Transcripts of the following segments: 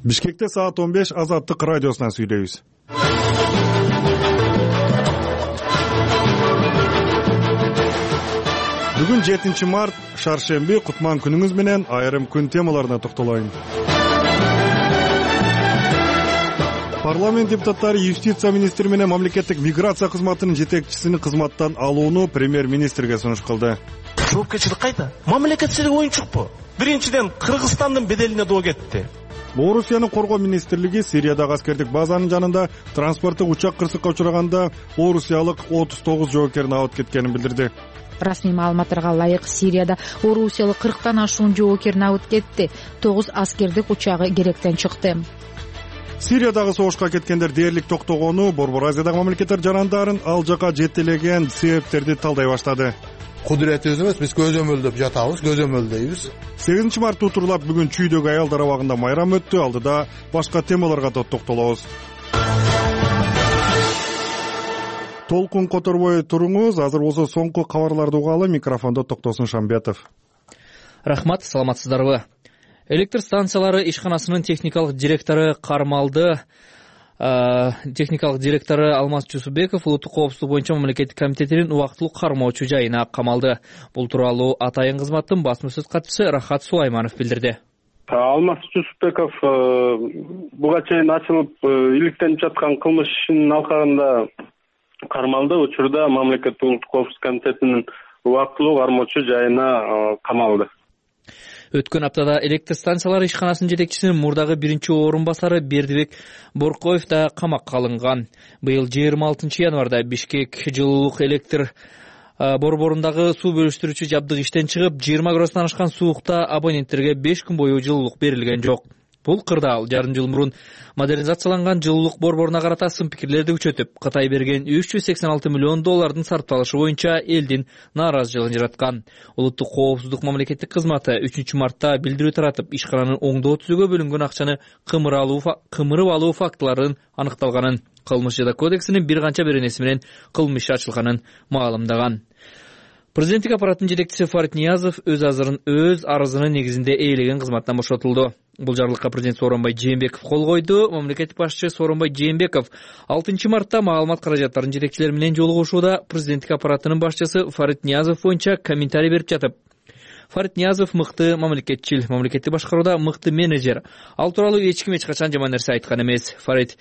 Бишкекте саат 15 Азаттык радиосунан сүйлөйбүз. Бүгүн 7 март, шаршемби, кутман күнүңүз менен айрым күн темаларына токтолоюн. Парламент депутаттары юстиция министри менен мамлекеттик миграция кызматынын жетекчисин кызматтан алууну премьер-министрге сунуш кылды. Жоопкерчилик кайда? Мамлекетчилик оюнчукпу? Биринчиден Кыргызстандын беделине доо кетти. Орусиянын коргоо министрлиги Сириядагы аскердик базанын жанында транспорттук учак кырсыкка учураганда орусиялык 39 жоопкерин абыт кеткенин билдирди. Расмий маалыматтарга ылайык, Сирияда орусиялык 40тан ашуун жоопкерин абыт кетти. 9 аскердик учагы керектен чыкты. Сириядагы согушка кеткендер дээрлик токтогону Борбор Азиядагы мамлекеттер жарандарын ал жака жетелеген себептерди талдай баштады. Кудуретибиз эмес, биз көзөмөлдөп жатабыз, көзөмөлдөйбүз. 8 март утурлап бүгүн Чүйдөгү аялдар абагында майрам өттү. Алдыда башка темаларга да токтолобуз. Толкун которбой туруңуз. Азыр болсо соңку кабарларды угалы. Микрофондо Токтосун Шамбетов. Рахмат, саламатсыздарбы? Электр станциялары ишканасынын техникалык директору кармалды. Техникалык директору Алмаз Чусубеков улуттук коопсуздук боюнча мамлекеттик комитетинин убактылуу кармоочу жайына камалды. Бул тууралуу атайын кызматтын басма сөз катчысы Рахат Сулайманов билдирди. Алмаз Чусубеков буга чейин ачылып иликтенип жаткан кылмыш ишинин алкагында кармалды. Учурда мамлекеттик улуттук коопсуздук комитетинин убактылуу кармоочу жайына камалды. Өткөн аптада электр станциялары ишканасынын жетекчисинин мурдагы биринчи орун басары Бердибек Боркоев да камакка алынган. Быйыл 26 январда Бишкек жылуулук электр борборундагы суу бөлүштүрүүчү жабдык иштен чыгып, 20 градустан ашкан суукта абоненттерге 5 күн бою жылуулук берилген жок. Бул кырдаал жарым жыл мурун модернизацияланган жылуулук борборуна карата сын пикирлерди күчөтүп, Кытай берген $386 миллион сарпталышы боюнча элдин нааразычылыгын жараткан. Улуттук коопсуздук мамлекеттик кызматы 3 мартта билдирүү таратып, ишкананын оңдоо түзүүгө бөлүнгөн акчаны кымырып алуу фактыларын аныкталганын, кылмыш жада кодексинин бир канча беренеси менен кылмыш иши ачылганын маалымдаган. Президенттик аппараттын жетекчиси Фарид Ниязов өз арызынын негизинде ээлеген кызматтан бошотулду. Бул жарлыкка президент Сооронбай Жээнбеков кол койду. Мамлекеттик башчы Сооронбай Жээнбеков 6 мартта маалымат каражаттарынын жетекчилери менен жолугушууда президенттик аппараттынын башчысы Фарид Ниязов боюнча комментарий берип жатып, Фарид Ниязов мыкты мамлекетчил, мамлекетти башкарууда мыкты менеджер. Ал тууралуу эч ким эч качан жаман нерсе айткан эмес. Фарид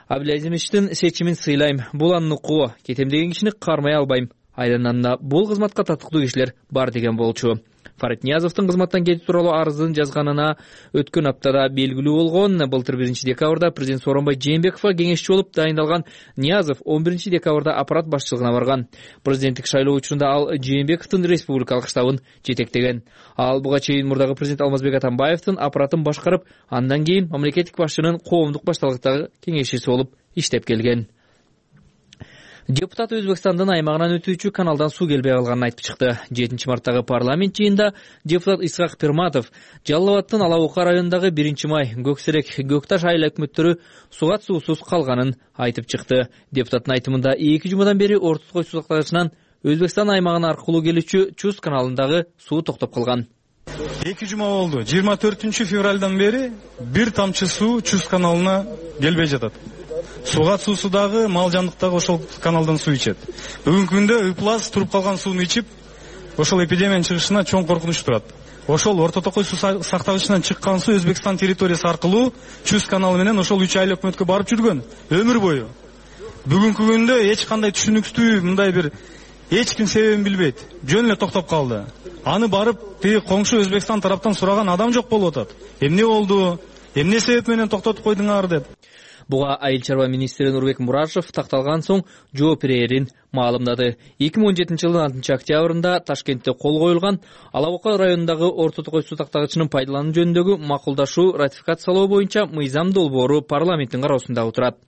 Абдулазимовичтин сечимин сыйлайм. Бул анын укугу. Кетем деген кишини кармай албайм. Айдананда бул кызматка татыктуу кишилер бар деген болчу. Фарид Ниязовдун кызматтан кетүү тууралуу арызын жазганына өткөн аптада белгилүү болгон. Былтыр 1 декабрда президент Сооронбай Жээнбековго кеңешчи болуп дайындалган Ниязов 11 декабрда аппарат башчылыгына барган. Президенттик шайлоо учурунда ал Жээнбековдун республикалык штабын жетектеген. Ал буга чейин мурдагы президент Алмазбек Атамбаевдин аппаратын башкарып, андан кийин мамлекеттик башчынын коомдук башталыктагы кеңешчиси болуп иштеп келген. Депутат Өзбекстандын аймагынан өтүүчү каналдан суу келбей калганын айтып чыкты. 7 марттагы парламент жыйынында депутат Исхак Пирматов Жалал Абадтын Алабука районундагы 1 май, Көксерек, Көкташ айыл өкмөттөрү сугат суусуз калганын айтып чыкты. Депутаттын айтымында 2 жумадан бери Ортоткой суу сактагычынан Өзбекстан аймагына аркылуу келүүчү Чус каналындагы суу токтоп калган. 2 жума болду. 24 февралдан бери бир тамчы суу Чус каналына келбей жатат. Сугат суусу дагы, мал жандык дагы ошол каналдан суу ичет. Бүгүнкү күндө ыплас туруп калган сууну ичип, ошол эпидемиянын чыгышына чоң коркунуч турат. Ошол Ортотокой суу сактагычынан чыккан суу Өзбекстан территориясы аркылуу Чус каналы менен ошол 3 айыл өкмөткө барып жүргөн өмүр бою. Бүгүнкү күндө эч кандай түшүнүктүү мындай бир эч ким себебин билбейт. Жөн эле токтоп калды. Аны барып тиги коңшу Өзбекстан тараптан сураган адам жок болуп атат. Эмне болду? Эмне себеп менен токтотуп койдуңар деп. Буга айыл чарба министри Нурбек Мурашев такталган соң жооп берерин маалымдады. 2017 жылдын 6 октябрында Ташкентте кол коюлган Алабука районундагы Ортотокой суу тактагычынын пайдалануу жөнүндөгү макулдашуу ратификациялоо боюнча мыйзам долбоору парламенттин кароосунда отурат.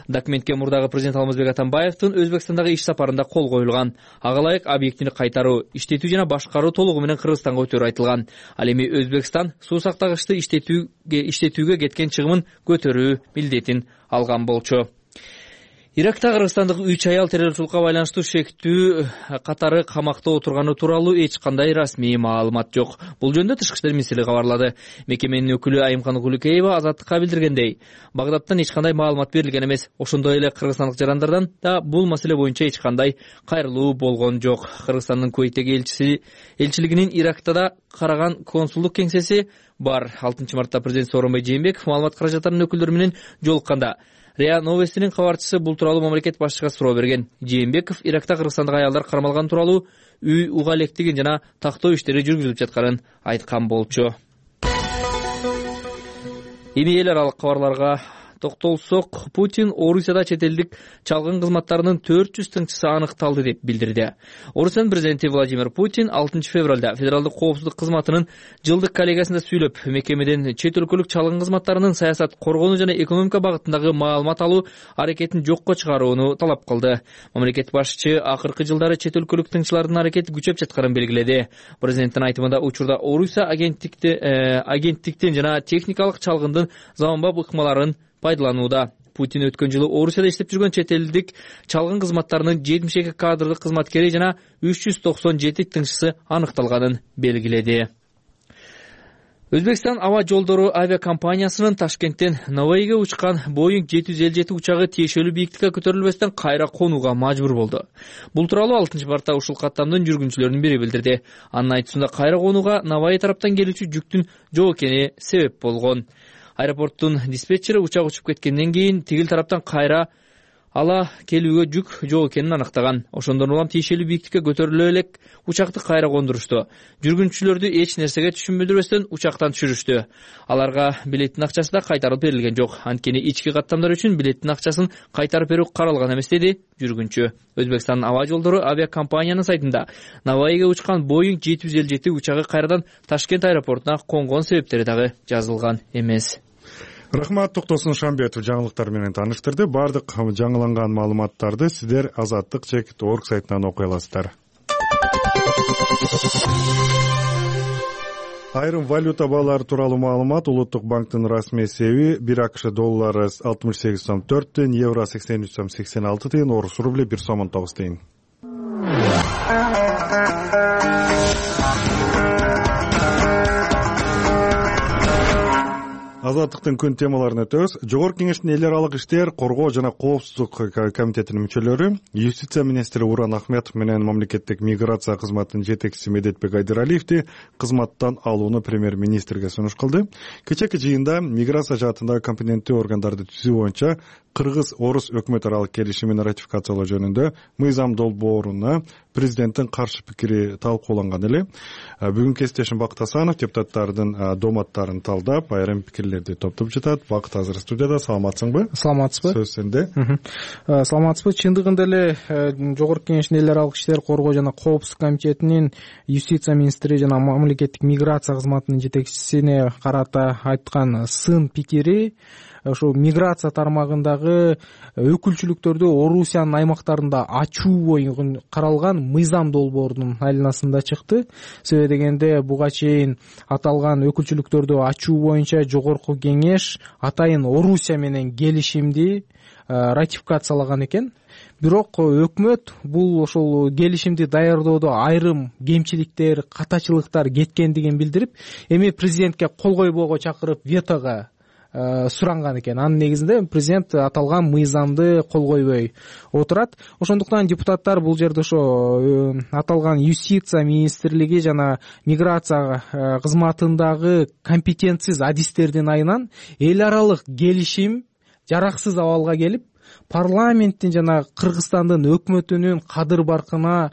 Документке мурдагы президент Алмазбек Атамбаевдин Өзбекстандагы иш сапарында кол коюлган. Ага ылайык объектини кайтаруу, иштетүү жана башкаруу толугу менен Кыргызстанга өтөрү айтылган. Ал эми Өзбекстан суу сактагычты иштетүүгө кеткен чыгымын көтөрүү милдетин алган болчу. Иракта кыргызстандык 3 аял террорчулукка байланыштуу шектүү катары камакта отурганы тууралуу эч кандай расмий маалымат жок. Бул жөнүндө Тышкы иштер министрлиги кабарлады. Мекеменин өкүлү Айымкан Кулукеева Азаттыкка билдиргендей, Багдадтан эч кандай маалымат берилген эмес. Ошондой эле кыргызстандык жарандардан да бул маселе боюнча эч кандай кайрылуу болгон жок. Кыргызстандын Кувейттеги элчилигинин Иракта да караган консулдук кеңсеси бар. 6-мартта президент Сооронбай Жээнбеков маалымат каражаттарынын өкүлдөрү менен жолукканда РИА Новостинин кабарчысы бул тууралуу мамлекет башчыга суроо берген. Жээнбеков Иракта кыргызстандык аялдар кармалган тууралуу үй уга электигин жана тактоо иштери жүргүзүлүп жатканын айткан болчу. Эми эл аралык кабарларга токтолсок, Путин Орусияда чет элдик чалгын кызматтарынын 400 тыңчысы аныкталды деп билдирди. Орусиянын президенти Владимир Путин 6 февралда Федералдык коопсуздук кызматынын жылдык коллегиясында сүйлөп, мекемеден чет өлкөлүк чалгын кызматтарынын саясат, коргонуу жана экономика багытындагы маалымат алуу аракетин жокко чыгарууну талап кылды. Мамлекет башчы акыркы жылдары чет өлкөлүк тыңчылардын аракети күчөп жатканын белгиледи. Президенттин айтымында учурда Орусия агенттиктен жана техникалык чалгындын заманбап ыкмаларын пайдаланууда. Путин өткөн жылы Орусияда иштеп жүргөн чет элдик чалгын кызматтарынын 72 кадрдык кызматкери жана 397 тыңчысы аныкталганын белгиледи. Өзбекстан аба жолдору авиакомпаниясынын Ташкенттен Наваиге учкан Boeing 757 учагы тиешелүү бийиктикке көтөрүлбөстөн кайра конууга мажбур болду. Бул тууралуу 6-мартта ушул каттамдын жүргүнчүлөрүнүн бири билдирди. Анын айтуусунда кайра конууга Наваи тараптан келүүчү жүктүн жок экени себеп болгон. Аэропорттун диспетчери учак учуп кеткенден кийин тигил тараптан кайра ала келүүгө жүк жок экенин аныктаган. Ошондон улам тиешелүү бийиктикке көтөрүлө элек учакты кайра кондурушту. Жүргүнчүлөрдү эч нерсеге түшүндүрбөстөн учактан түшүрүштү. Аларга билеттин акчасы да кайтарып берилген жок. Анткени ички каттамдар үчүн билеттин акчасын кайтарып берүү каралган эмес, деди жүргүнчү. Өзбекстандын аба жолдору авиакомпаниянын сайтында Наваиге учкан Boeing 757 учагы кайрадан Ташкент аэропортуна конгон себептери дагы жазылган эмес. Рахмат, Токтосун Шамбетов жаңылыктар менен тааныштырды. Бардык жаңыланган маалыматтарды сиздер Азаттык.org сайтынан окуй аласыздар. Айрым валюта баалары тууралуу маалымат. Улуттук банктын расмий эсеби 1 АКШ доллары 68 сом 4 тыйын, евро 83 сом 86 тыйын, орус рубли 1 сом 19 тыйын. Азаттыктын күн темаларын өтөбүз. Жогорку кеңештин эл аралык иштер, коргоо жана коопсуздук комитетинин мүчөлөрү, юстиция министри Уран Ахметов менен мамлекеттик миграция кызматынын жетекчиси Медетбек Айдыралиевди кызматтан алууну премьер-министрге сунуш кылды. Кечээки жыйында миграция жаатындагы компетенттүү органдарды түзүү боюнча Кыргыз-Орус өкмөт аралык келишимин ратификациялоо жөнүндө мыйзам долбооруна президенттин каршы пикири талкууланган эле. Бүгүн кесиптешим Бакыт Асанов депутаттардын доматтарын талдап, айрым пикирлерди топтоп жатат. Бакыт азыр студияда. Саламатсыңбы? Саламатсызбы? Сөз сенде. Саламатсызбы? Чындыгында эле Жогорку кеңештин эл аралык иштер, коргоо жана коопсуздук комитетинин юстиция министри жана мамлекеттик миграция кызматынын жетекчисине карата айткан сын пикири ошо миграция тармагындагы өкүлчүлүктөрдү Орусиянын аймактарында ачуу боюнча каралган мыйзам долбоорунун айланасында чыкты. Себеби дегенде буга чейин аталган өкүлчүлүктөрдү ачуу боюнча Жогорку кеңеш атайын Орусия менен келишимди ратификациялаган экен. Бирок өкмөт бул ошол келишимди даярдоодо айрым кемчиликтер, катачылыктар кеткендигин билдирип, эми президентке кол койбоого чакырып ветого суранган экен. Анын негизинде президент аталган мыйзамды кол койбой отурат. Ошондуктан депутаттар бул жерде ошо аталган юстиция министрлиги жана миграция кызматындагы компетентсиз адистердин айынан эл аралык келишим жараксыз абалга келип, парламенттин жана Кыргызстандын өкмөтүнүн кадыр баркына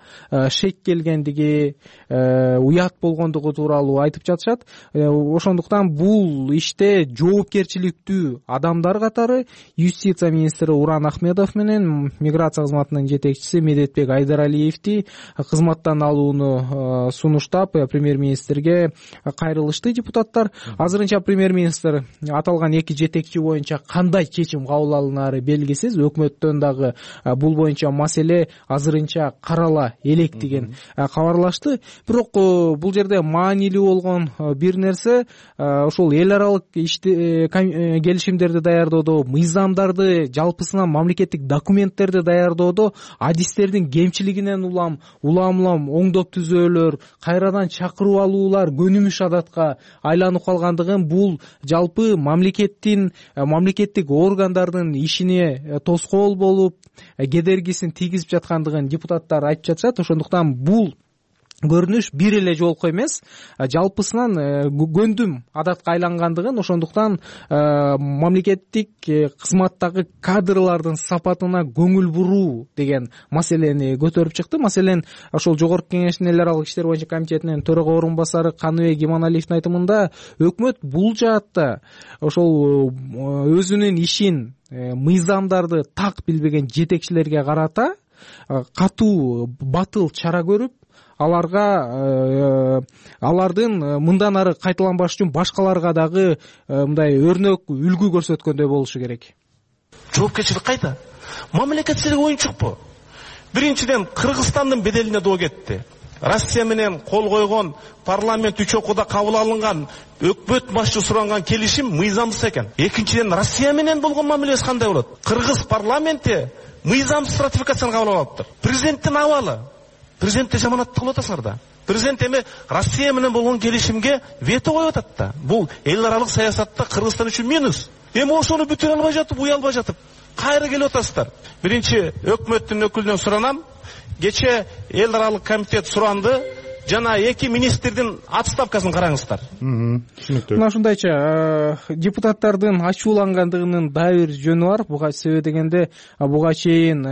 шек келгендиги, уят болгондугу тууралуу айтып жатышат. Ошондуктан бул иште жоопкерчиликтүү адамдар катары юстиция министри Уран Ахметов менен миграция кызматынын жетекчиси Медетбек Айдыралиевди кызматтан алууну сунуштап премьер-министрге кайрылышты депутаттар. Азырынча премьер-министр аталган эки жетекчи боюнча кандай чечим кабыл алынаары белгисиз. белгисиз. Өкмөттөн дагы бул боюнча маселе азырынча карала элек деген кабарлашты. Бирок бул жерде маанилүү болгон бир нерсе ошол эл аралык келишимдерди даярдоодо, мыйзамдарды жалпысынан мамлекеттик документтерди даярдоодо адистердин кемчилигинен улам оңдоп түзөөлөр, кайрадан чакырып алуулар көнүмүш адатка айланып калгандыгын, бул жалпы мамлекеттик органдардын ишине тоскоол болуп, кедергисин тийгизип жаткандыгын депутаттар айтып жатышат. Ошондуктан бул көрүнүш бир эле жолку эмес, жалпысынан көндүм адатка айлангандыгын, ошондуктан мамлекеттик кызматтагы кадрлардын сапатына көңүл буруу деген маселени көтөрүп чыкты. Маселен, ошол Жогорку Кеңештин эл аралык иштер боюнча комитетинин төрага орун басары Каныбек Иманалиевдин айтымында өкмөт бул жаатта ошол өзүнүн ишин, мыйзамдарды так билбеген жетекчилерге карата катуу батыл чара көрүп, алардын мындан ары кайталанбаш үчүн башкаларга дагы мындай өрнөк үлгү көрсөткөндөй болушу керек. Жоопкерчилик кайда? Мамлекет силерге оюнчукпу? Биринчиден, Кыргызстандын беделине доо кетти. Россия менен кол койгон, парламент 3 окууда кабыл алынган, өкмөт башчы суранган келишим мыйзамсыз экен. Экинчиден, Россия менен болгон мамилеси кандай болот? Кыргыз парламенти мыйзамсыз ратификацияны кабыл алыптыр. Президенттин абалы. Президентте жаманатты кылып атасыңар да. Президент эми Россия менен болгон келишимге вето коюп атат да. Бул эл аралык саясатта Кыргызстан үчүн минус. Эми ошону бүтүрө албай жатып, уя албай жатып, кайра келип атасыздар. Биринчи өкмөттүн өкүлүнөн суранам. Кече эл аралык комитет суранды. Жана эки министрдин отставкасын караңыздар. Түшүнүктүү. Мына ушундайча депутаттардын ачуулангандыгынын дагы бир жөнү бар. Буга себеп дегенде буга чейин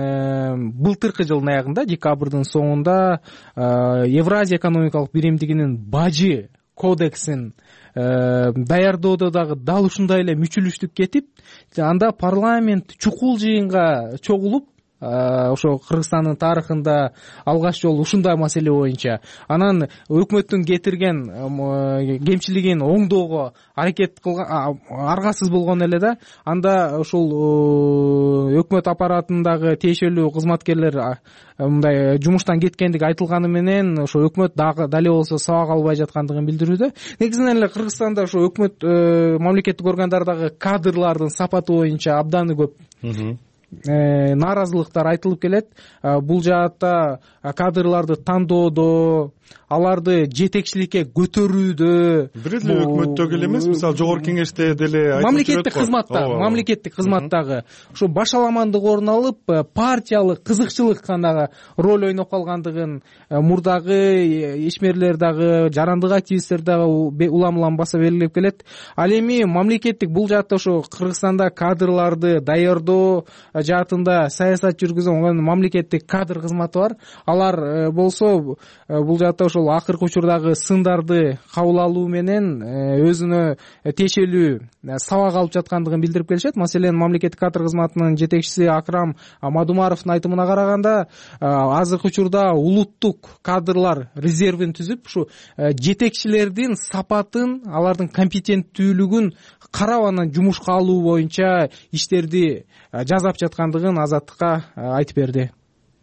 былтыркы жылдын аягында, декабрдын соңунда Евразия экономикалык биримдигинин бажы кодексин даярдоодо дагы дал ушундай эле мүчүлүштүк кетип, анда парламент чукул жыйынга чогулуп, ошо Кыргызстандын тарыхында алгач жолу ушундай маселе боюнча анан өкмөттүн кетирген кемчилигин оңдоого аракет кылган, аргасыз болгон эле да. Анда ошол өкмөт аппаратындагы тиешелүү кызматкерлер мындай жумуштан кеткендиги айтылганы менен ошо өкмөт дагы дале болсо сабак албай жаткандыгын билдирүүдө. Негизинен эле Кыргызстанда ошо өкмөт мамлекеттик органдардагы кадрлардын сапаты боюнча абдан көп нааразылыктар айтылып келет. Бул жаатта кадрларды тандоодо, аларды жетекчиликке көтөрүүдө, бир эле өкмөттөгү эле эмес, мисалы Жогорку Кеңеште деле мамлекеттик кызматтагы ушу башаламандык орун алып, партиялык кызыкчылык гана роль ойноп калгандыгын мурдагы ишмерлер дагы, жарандык активисттер дагы улам баса белгилеп келет. Ал эми мамлекеттик бул жаатта ошо Кыргызстанда кадрларды даярдоо жаатында саясат жүргүзгөн мамлекеттик кадр кызматы бар. Алар болсо бул жаатта ошол акыркы учурдагы сындарды кабыл алуу менен өзүнө тиешелүү сабак алып жаткандыгын билдирип келишет. Маселен, мамлекеттик кадр кызматынын жетекчиси Акрам Мадумаровдун айтымына караганда, азыркы учурда улуттук кадрлар резервин түзүп, ушу жетекчилердин сапатын, алардын компетенттүүлүгүн карап анан жумушка алуу боюнча иштерди жасап жаткандыгын Азаттыкка айтып берди.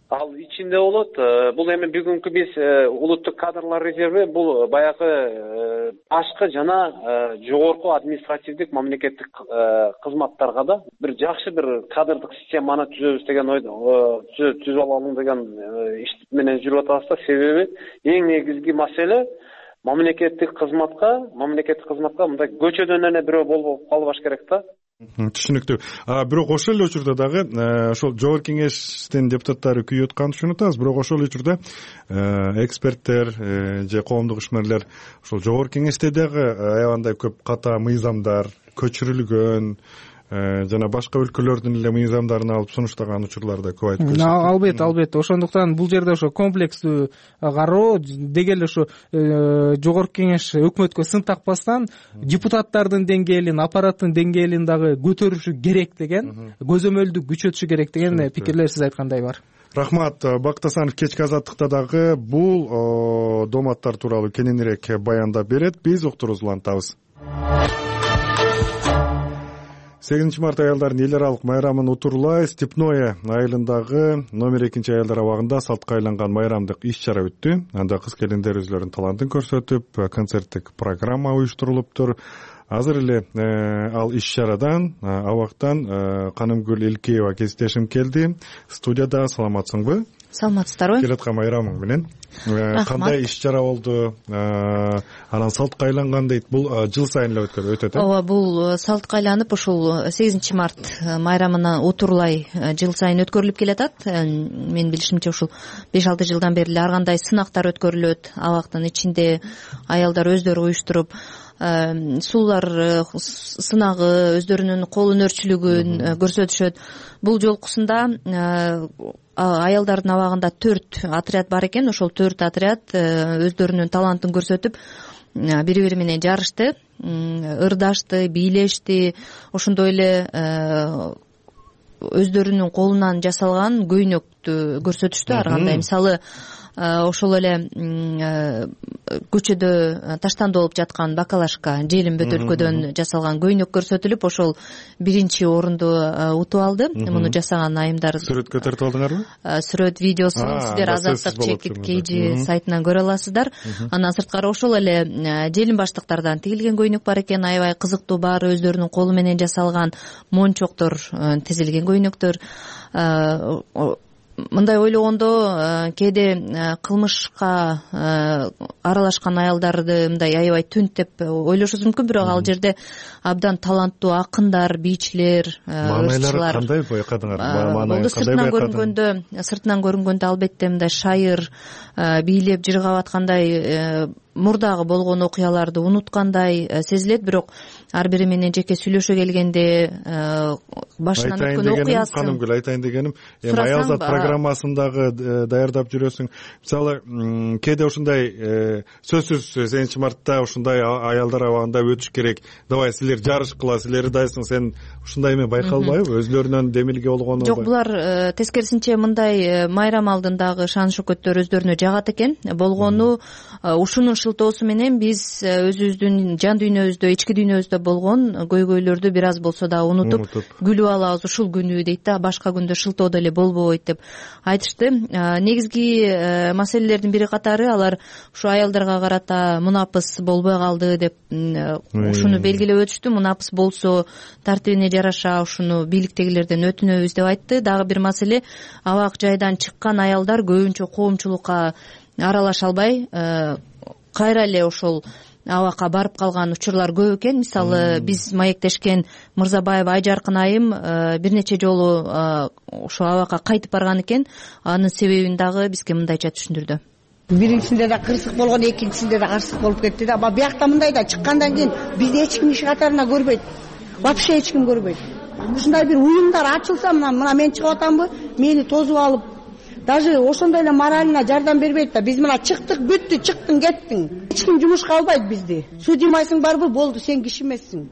Ал ичинде болот. Бул эми бүгүнкү биз улуттук кадрлар резерви бул баягы башкы жана жогорку административдик мамлекеттик кызматтарга да бир жакшы бир кадрдык системаны түзөбүз деген түзүп алалы деген иш менен жүрүп атабыз да. Себеби эң негизги маселе мамлекеттик кызматка мындай көчөдөн эле бирөө болуп калбаш керек да. Түшүнүктүү. Бирок ошол эле учурда дагы ошол Жогорку Кеңештин депутаттары күйүп атканын түшүнүп атабыз. Бирок ошол учурда эксперттер же коомдук ишмерлер ошол Жогорку Кеңеште дагы аябандай көп ката мыйзамдар көчүрүлгөн, жана башка өлкөлөрдүн эле мыйзамдарын алып сунуштаган учурлар да көп айтып келишет. Албетте. Ошондуктан бул жерде ошо комплекстүү кароо деги эле ошо Жогорку Кеңеш өкмөткө сын такпастан депутаттардын деңгээлин, аппараттын деңгээлин дагы көтөрүшү керек деген, көзөмөлдү күчөтүшү керек деген пикирлер сиз айткандай бар. Рахмат. Бактасанов кечки азаттыкта дагы бул дооматтар тууралуу кененирээк баяндап берет. Биз уктуруубузду улантабыз. 8 март аялдардын эл аралык майрамын утурлай Степное айылындагы номер 2 аялдар абагында салтка айланган майрамдык иш-чара өттү. Анда кыз келиндер өзлөрүнүн талантын көрсөтүп, концерттик программа уюштурулуптур. Азыр эле ал иш-чарадан абактан Канымгүл Илкеева кесиптешим келди. Студияда саламатсыңбы? Саламатсыздарбы? Келаткан майрамың менен кандай иш-чара болду? Анан салтка айланган дейт. Бул жыл сайын эле өтөт, э? Ооба, бул салтка айланып ушул 8 март майрамына утурлай жыл сайын өткөрүлүп келатат. Менин билишимче ушул 5-6 жылдан бери эле ар кандай сынактар өткөрүлөт. Абактын ичинде аялдар өздөрү уюштуруп суулар сынагы, өздөрүнүн кол өнөрчүлүгүн көрсөтүшөт. Бул жолкусунда аялдардын абагында 4 отряд бар экен. Ошол 4 отряд өздөрүнүн талантын көрсөтүп, бири-бири менен жарышты, ырдашты, бийлешти. Ошондой эле өздөрүнүн колунан жасалган көйнөктү көрсөтүштү ар кандай. Мисалы, ошол эле көчөдө таштандуу болуп жаткан бакалашка, желим бөтөлкөдөн жасалган көйнөк көрсөтүлүп, ошол 1-орунду утуп алды. Муну жасаган айымдар. Сүрөткө тартып алдыңарбы? Сүрөт, видеосун сиздер Азаттык Чекит KG сайтынан көрө аласыздар. Андан сырткары ошол эле желим баштыктардан тигилген көйнөк бар экен. Аябай кызыктуу, баары өздөрүнүн колу менен жасалган мончоктор тизилген көйнөктөр. Мындай ойлогондо кээде кылмышка аралашкан аялдарды мындай аябай түнт деп ойлошубуз мүмкүн, бирок ал жерде абдан таланттуу акындар, бийчилер, ырчылар. Кандай байкадыңар? Маанайын кандай байкадыңар? Сыртынан көрүнгөндө албетте мындай шайыр, бийлеп жыргап аткандай, мурдагы болгон окуяларды унуткандай сезилет. Бирок ар бири менен жеке сүйлөшө келгенде башынан өткөн окуясын. Канымгүл, айтайын дегеним, аялзат программасындагы даярдап жүрөсүң. Мисалы, кээде ушундай сөзсүз 8 мартта ушундай аялдар абагында өтүш керек. Давай силер жарышкыла, силер дайсың, сен ушундай эме байкалбайбы? Өздөрүнөн демилге болгону? Жок, булар тескерисинче мындай майрам алдындагы шан шөкөттөр өздөрүнө жагат экен. Болгону ушунун шылтоосу менен биз өзүбүздүн жан дүйнөбүздө, ички дүйнөбүздө болгон көйгөйлөрдү бир аз болсо да унутуп күлүп алабыз ушул күнү дейт да. Башка күндө шылтоо деле болбойт деп айтышты. Негизги маселелердин бири катары алар ушу аялдарга карата мунапыс болбой калды деп ушуну белгилеп өтүштү. Мунапыс болсо тартибине жараша ушуну бийликтегилерден өтүнөбүз деп айтты. Дагы бир маселе, абак жайдан чыккан аялдар көбүнчө коомчулукка аралаша албай кайра эле ошол абакка барып калган учурлар көп экен. Мисалы, биз маектешкен Мырзабаева Айжаркын айым бир нече жолу ошо абакка кайтып барган экен. Анын себебин дагы бизге мындайча түшүндүрдү. Биринчисинде да кырсык болгон, экинчисинде да карсык болуп кетти да. Биякта мындай да, чыккандан кийин бизди эч ким иш катарына көрбөйт. Вообще эч ким көрбөйт. Ушундай бир уюмдар ачылса, мына мен чыгып атамбы, мени тосуп алып, даже ошондой эле моралына жардам бербейт да. Биз мына чыктык, бүттү, чыктың, кеттиң. Эч ким жумушка албайт бизди. Судимайсың барбы, болду, сен киши эмессиң.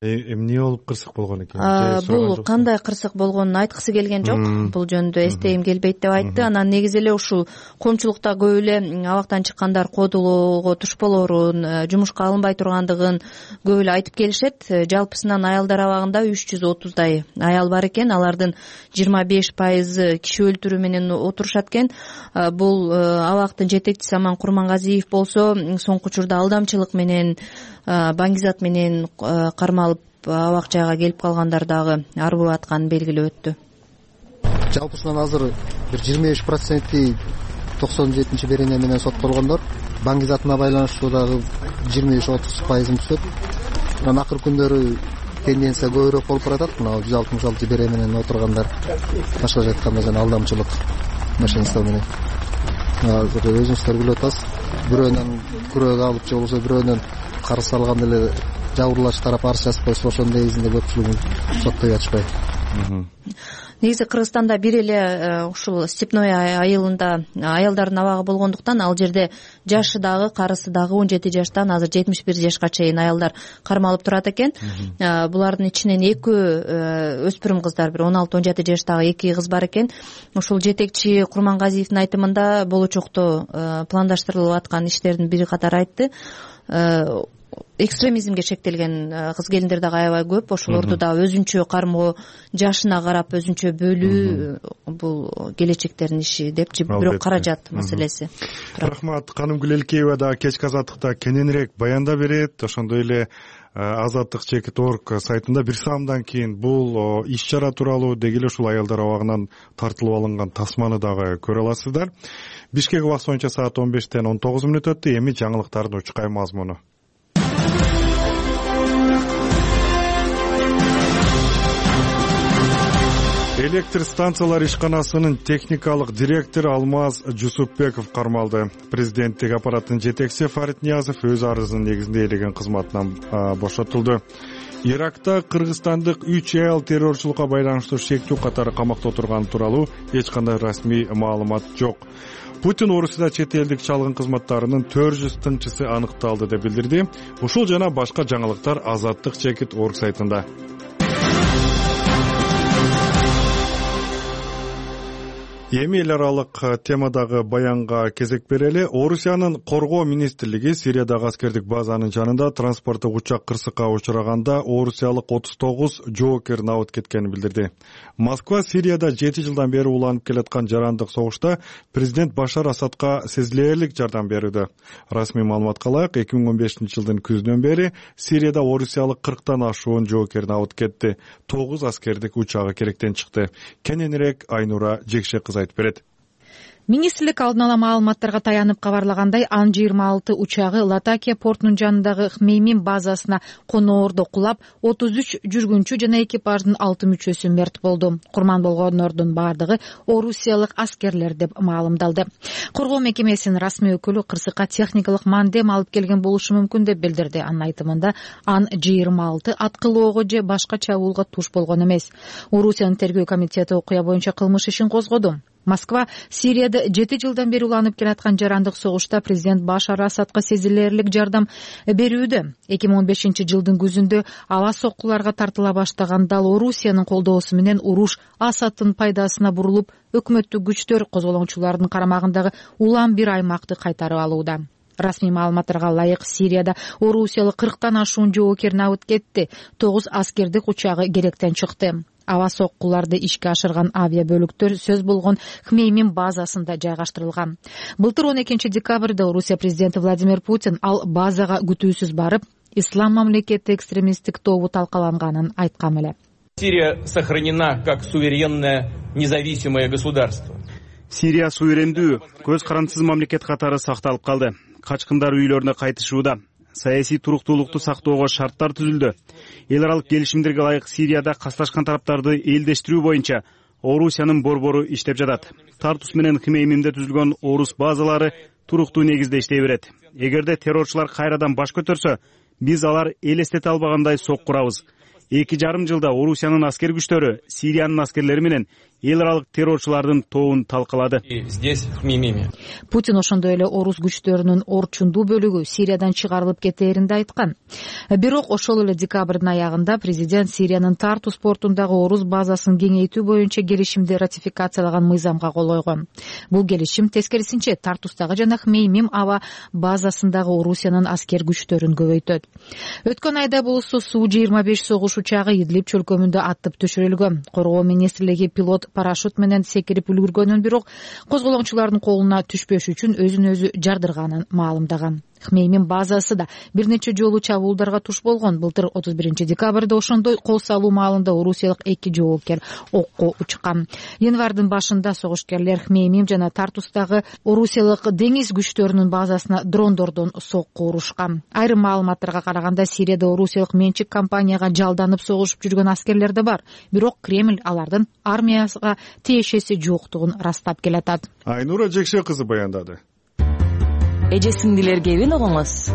Эмне болуп кырсык болгон экен? Бул кандай кырсык болгонун айткысы келген жок. Бул жөнүндө эстейим келбейт деп айтты. Анан негизи эле ушул коомчулукта көп эле абактан чыккандар кодулоого туш болорун, жумушка алынбай тургандыгын көп эле айтып келишет. Жалпысынан аялдар абагында 330дай аял бар экен. Алардын 25% киши өлтүрүү менен отурушат экен. Бул абактын жетекчиси Аман Курмангазиев болсо, соңку учурда алдамчылык менен, баңгизат менен кармалып абак жайга келип калгандар дагы арбып атканын белгилеп өттү. Жалпысынан азыр бир 25% 97 берене менен соттолгондор, баңгизатына байланыштуу дагы 25-30% түшөт. Анан акыркы күндөрү тенденция көбүрөөк болуп баратат. Мына 166 берене менен отургандар, башкача айтканда жана алдамчылык машинистер менен. Азыр өзүңүздөр билип атасыз, бирөөнөн күрөөгө алып же болбосо бирөөнөн карыз алганда эле жабырлач тарап арыз жазып койсо, ошонун негизинде көпчүлүгүн соттой ачпайт. Негизи Кыргызстанда бир эле ушул Степное айылында аялдардын абагы болгондуктан ал жерде жашы дагы, карысы дагы 17 жаштан азыр 71 жашка чейин аялдар кармалып турат экен. Булардын ичинен 2 өспүрүм кыздар, бир 16-17 жаштагы 2 кыз бар экен. Ушул жетекчи Курмангазиевдин айтымында болочокто пландаштырылып аткан иштердин бири катары айтты. экстремизмге шектелген кыз келиндер дагы аябай көп. Ошолорду дагы өзүнчө кармоо, жашына карап өзүнчө бөлүү бул келечектердин иши депчи. Бирок каражат маселеси. Рахмат. Канымгүл Элкеева да кечки азаттыкта кененирээк баяндап берет. Ошондой эле azadlik.org сайтында бир саамдан кийин бул иш чара тууралуу деги эле ушул аялдар абагынан тартылып алынган тасманы дагы көрө аласыздар. Бишкек убакыты боюнча саат 15-тен 19 өттү. Эми жаңылыктардын учкай мазмуну. Электр станциялар ишканасынын техникалык директору Алмаз Жусупбеков кармалды. Президенттик аппараттын жетекчиси Фарид Ниязов өз арызынын негизинде ээлеген кызматынан бошотулду. Иракта кыргызстандык 3 аял террорчулукка байланыштуу шектүү катары камакта отурганы тууралуу эч кандай расмий маалымат жок. Путин Орусияда чет элдик чалгын кызматтарынын 400 тыңчысы аныкталды деп билдирди. Ушул жана башка жаңылыктар azadlik.org сайтында. Эми эл аралык темадагы баянга кезек берели. Орусиянын коргоо министрлиги Сириядагы аскердик базанын жанында транспорттук учак кырсыкка учураганда орусиялык 39 жоокер набыт кеткенин билдирди. Москва Сирияда 7 жылдан бери уланып келаткан жарандык согушта президент Башар Асадка сезилээрлик жардам берүүдө. Расмий маалыматка ылайык 2015-жылдын күзүнөн бери Сирияда орусиялык 40тан ашуун жоокер набыт кетти. 9 аскердик учагы керектен чыкты. Кененирээк Айнура Жекшекызы айтып берет. Министрлик алдын ала маалыматтарга таянып кабарлагандай, Ан-26 учагы Латакия портунун жанындагы Хмеймим базасына коноордо кулап, 33 жүргүнчү жана экипаждын 6 мүчөсү мерт болду. Курман болгондордун бардыгы орусиялык аскерлер деп маалымдалды. Коргоо мекемесинин расмий өкүлү кырсыкка техникалык мандем алып келген болушу мүмкүн деп билдирди. Анын айтымында Ан-26 аткылоого же башка чабуулга туш болгон эмес. Орусиянын тергөө комитети окуя боюнча кылмыш ишин козгоду. Москва Сирияда 7 жылдан бери уланып келаткан жарандык согушта президент Башар Асадка сезилээрлик жардам берүүдө. 2015-жылдын күзүндө аба соккуларга тартыла баштаган дал Орусиянын колдоосу менен уруш Асадтын пайдасына бурулуп, өкмөттүк күчтөр козголоңчулардын карамагындагы улам бир аймакты кайтарып алууда. Расмий маалыматтарга ылайык Сирияда орусиялык 40тан ашуун жоокер набыт кетти. 9 аскердик учагы керектен чыкты. Аба соккуларды ишке ашырган авиабөлүктөр сөз болгон Хмеймим базасында жайгаштырылган. Былтыр 12-декабрда Орусия президенти Владимир Путин ал базага күтүүсүз барып, ислам мамлекети экстремисттик тобу талкаланганын айткан эле. Сирия сохранена как суверенное независимое государство. Сирия суверендүү, көз карандысыз мамлекет катары сакталып калды. Качкындар үйлөрүнө кайтышууда. Саясий туруктуулукту сактоого шарттар түзүлдү. Эл аралык келишимдерге ылайык Сирияда касташкан тараптарды элдештирүү боюнча Орусиянын борбору иштеп жатат. Тартус менен Хмеймимде түзүлгөн орус базалары туруктуу негизде иштей берет. Эгерде террорчулар кайрадан баш көтөрсө, биз алар элестете албагандай сок курабыз. 2,5 жылда Орусиянын аскер күчтөрү Сириянын аскерлери менен эл аралык террорчулардын тобун талкалады. Здесь в Хмеймиме. Путин ошондой эле орус күчтөрүнүн орчундуу бөлүгү Сириядан чыгарылып кетээрин да айткан. Бирок ошол эле декабрдын аягында президент Сириянын Тартус портундагы орус базасын кеңейтүү боюнча келишимди ратификациялаган мыйзамга кол койгон. Бул келишим тескерисинче Тартустагы жана Хмеймим аба базасындагы Орусиянын аскер күчтөрүн көбөйтөт. Өткөн айда болсо Су-25 согуш учагы Идлиб чөлкөмүндө аттып түшүрүлгөн. Коргоо министрлиги пилот парашют менен секирип үлгүргөнүн, бирок козголоңчулардын колуна түшпөш үчүн өзүн өзү жардырганын маалымдаган. Хмеймим базасы да бир нече жолу чабуулдарга туш болгон. Былтыр 31-декабрда ошондой кол салуу маалында орусиялык 2 жоокер окко учкан. Январдын башында согушкерлер Хмеймим жана Тартустагы орусиялык деңиз күчтөрүнүн базасына дрондордон сокку урушкан. Айрым маалыматтарга караганда Сирияда орусиялык менчик компанияга жалданып согушуп жүргөн аскерлер да бар. Бирок Кремль алардын армияга тиешеси жоктугун растап келатат. Айнура Жекше кызы баяндады. Эже сиңдилерге эбин огоңуз.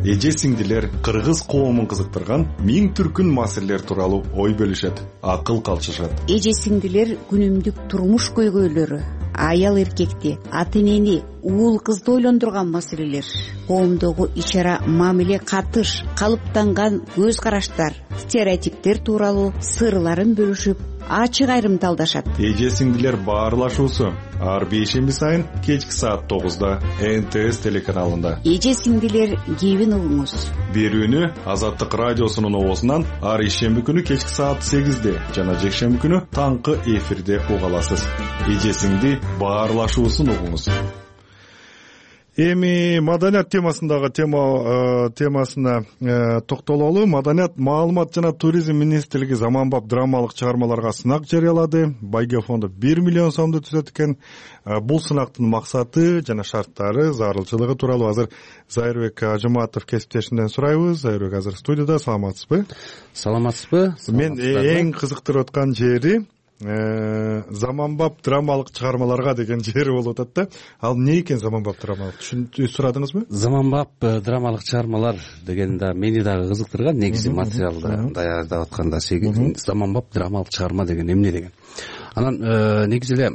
Эже сиңдилер кыргыз коомун кызыктырган миң түркүн маселелер тууралуу ой бөлүшөт, акыл калчышат. Эже сиңдилер күнүмдүк турмуш көйгөйлөрү, аял эркекти, ата энени, уул кызды ойлондурган маселелер, коомдогу иш-чара мамиле, катыш, калыптанган көз караштар, стереотиптер тууралуу сырларын бөлүшүп, ачык айрымдалдашат. Эже сиңдилер баарлашуусу ар бейшемби сайын кечки саат 9-да НТС телеканалында. Эже сиңдилер кебин угуңуз. Берүүнү Азаттык радиосунун оозунан ар ишемби күнү кечки саат 8-де жана жекшемби күнү таңкы эфирде уга аласыз. Эже сиңди баарлашуусун угуңуз. Эми маданият темасындагы темасына токтололу. Маданият, маалымат жана туризм министрлиги заманбап драмалык чыгармаларга сынак жарыялады. Байге фонду 1 миллион сомду түзөт экен. Бул сынактын максаты жана шарттары, зарылчылыгы тууралуу азыр Зайырбек Ажыматов кесиптешинден сурайбыз. Зайырбек азыр студияда. Саламатсызбы? Саламатсызбы? Мен эң кызыктырып аткан жери заманбап драмалык чыгармаларга деген жери болуп атат да. Ал эмне экен заманбап драмалык? Сурадыңызбы? Заманбап драмалык чыгармалар деген да мени дагы кызыктырган. Негизи материалды даярдап атканда заманбап драмалык чыгарма деген эмне деген. Анан негизи эле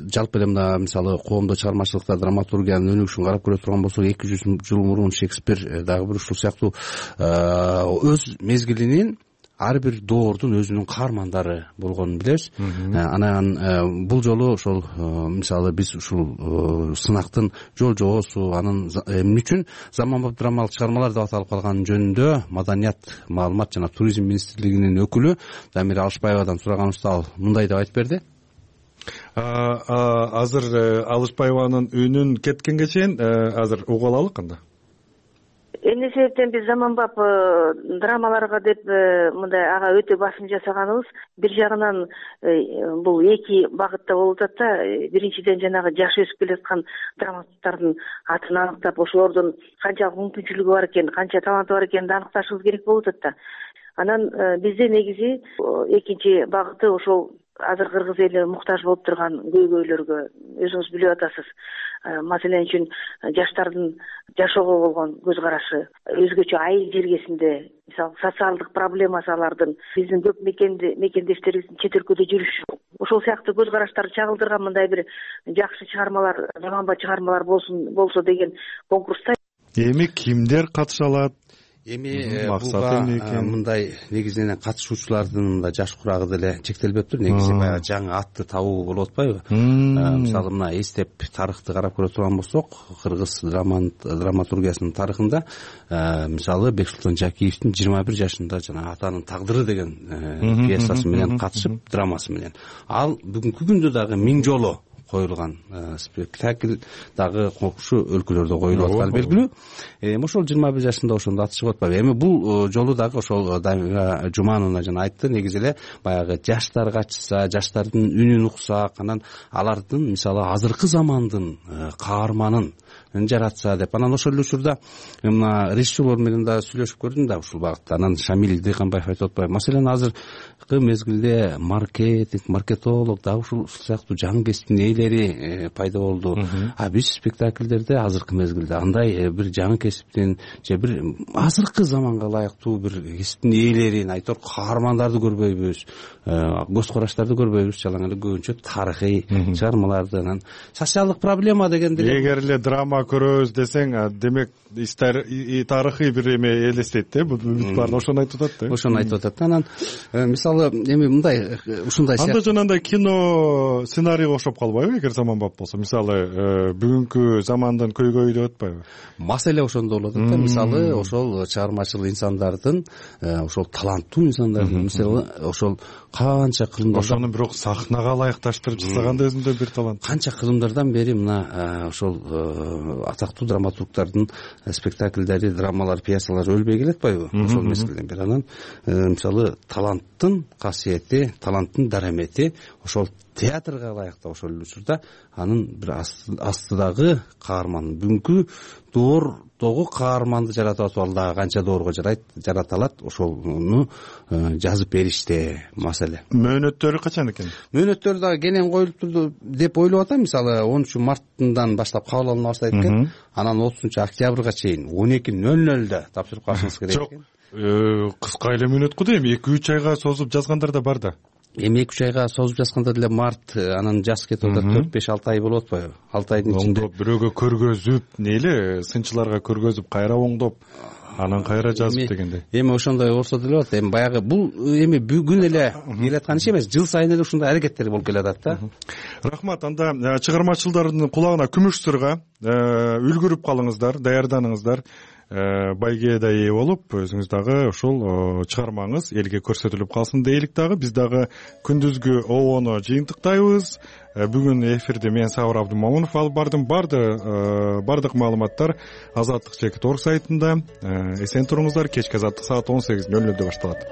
жалпы эле мына мисалы коомдо чыгармачылыкта драматургиянын өнүгүшүн карап көрө турган болсок 200 жыл мурун Шекспир дагы бир ушул сыяктуу өз мезгилинин ар бир доордун өзүнүн каармандары болгонун билебиз. Анан бул жолу ошол мисалы биз ушул сынактын жол-жоосу, анын эмне үчүн заманбап драмалык чыгармалар деп аталып калганы жөнүндө маданият, маалымат жана туризм министрлигинин өкүлү Дамира Алышбаевадан сураганыбызда ал мындай деп айтып берди. Азыр Алышбаеванын үнүн кеткенге чейин азыр угуп алалы кандай? Эмне себептен биз заманбап драмаларга деп мындай ага өтө басым жасаганыбыз, бир жагынан бул эки багытта болуп атат да. Биринчиден жанагы жаш өсүп келе аткан драматургдардын атын аныктап, ошолордун канчалык мүмкүнчүлүгү бар экен, канча таланты бар экенин аныкташыбыз керек болуп атат да. Анан бизде негизи экинчи багыты ошол азыр кыргыз эли муктаж болуп турган көйгөйлөргө, өзүңүз билип атасыз. Маселен үчүн жаштардын жашоого болгон көз карашы, өзгөчө айыл жергесинде, мисалы социалдык проблемасы алардын, биздин көп мекендештерибиздин чет өлкөдө жүрүшү, ошол сыяктуу көз караштарды чагылдырган мындай бир жакшы чыгармалар, заманбап чыгармалар болсо деген конкурста. Эми кимдер катыша алат? Эми буга мындай негизинен катышуучулардын да жаш курагы деле чектелбептир. Негизи баягы жаңы атты табуу болуп атпайбы? Мисалы мына эстеп тарыхты карап көрө турган болсок, кыргыз драматургиясынын тарыхында мисалы Бексултан Жакиевдин 21 жашында жана атанын тагдыры деген пьесасы менен катышып, драмасы менен. Ал бүгүнкү күндө дагы миң жолу коюлган спектакль дагы кокушу өлкөлөрдө коюлуп атканы белгилүү. Ошол 21 жашында ошондо аты чыгып атпайбы. Эми бул жолу дагы ошол Дамира Жумановна жана айтты, негизи эле баягы жаштар катышса, жаштардын үнүн уксак, анан алардын мисалы азыркы замандын каарманын жаратса деп. Анан ошол эле учурда мына режиссерлор менен да сүйлөшүп көрдүм да ушул багытта. Анан Шамил Дыйканбаев айтып атпайбы? Маселен азыркы мезгилде маркетолог дагы ушул сыяктуу жаңы кесиптин ээлери пайда болду. Биз спектакльдерде азыркы мезгилде андай бир жаңы кесиптин же бир азыркы заманга ылайыктуу бир кесиптин ээлерин, айтор каармандарды көрбөйбүз, көз караштарды көрбөйбүз, жалаң эле көбүнчө тарыхый чыгармаларды, анан социалдык проблема дегенде эгер эле драма көрөбүз десең, демек тарыхый бир эме элестейт да. Бүт баары ошону айтып атат да. Ошону айтып атат. Анан мисалы эми мындай ушундай анда жанагындай кино сценарийге окшоп калбайбы эгер заманбап болсо? Мисалы бүгүнкү замандын көйгөйү деп атпайбы? Маселе ошондо болот да. Мисалы ошол чыгармачыл инсандардын, ошол таланттуу инсандардын мисалы ошол канча кылымдар, ошону бирок сахнага ылайыкташтырып жасаган да өзүндө бир талант. Канча кылымдардан бери мына ошол атактуу драматургдардын спектакльдери, драмалар, пьесалар өлбөй келатпайбы? Ошол мезгилден бери анан мисалы таланттын касиети, таланттын дарамети ошол театрга ылайыктуу. Ошол учурда анын бир астыдагы каарман, бүгүнкү доордогу каарманды жаратып атып, ал дагы канча доорго жарата алат, ошону жазып бериште маселе. Мөөнөттөрү качан экен? Мөөнөттөрү дагы кенен коюлуптур деп ойлоп атам. Мисалы 13 марттан баштап кабыл алына баштайт экен. Анан 30 октябрга чейин 12:00 тапшырып калышыңыз керек экен. Кыска эле мөөнөт го дейм, 2-3 айга созуп жазгандар да бар да. Эми 2-3 айга созуп жазганда деле март, анан жаз кетип атат, 4-5-6 ай болуп атпайбы? 6 айдын ичинде оңдоп бирөөгө көргөзүп, нейле сынчыларга көргөзүп, кайра оңдоп анан кайра жазып дегендей. Эми ошондой болсо деле болот. Эми баягы бул эми бүгүн эле келаткан иш эмес, жыл сайын эле ушундай аракеттер болуп келатат да. Рахмат. Анда чыгармачылардын кулагына күмүш сырга үлгүрүп калыңыздар, даярданыңыздар. Байгеде ээ болуп, өзүңүз дагы ушул чыгармаңыз элге көрсөтүлүп калсын дейлик дагы. Биз дагы күндүзгү обону жыйынтыктайбыз. Бүгүн эфирди мен Сабыр Абдымомунов алып бардым. Бардык маалыматтар Азаттык чекит.org сайтында. Эсен туруңуздар. Кечки Азаттык саат 18:00 башталат.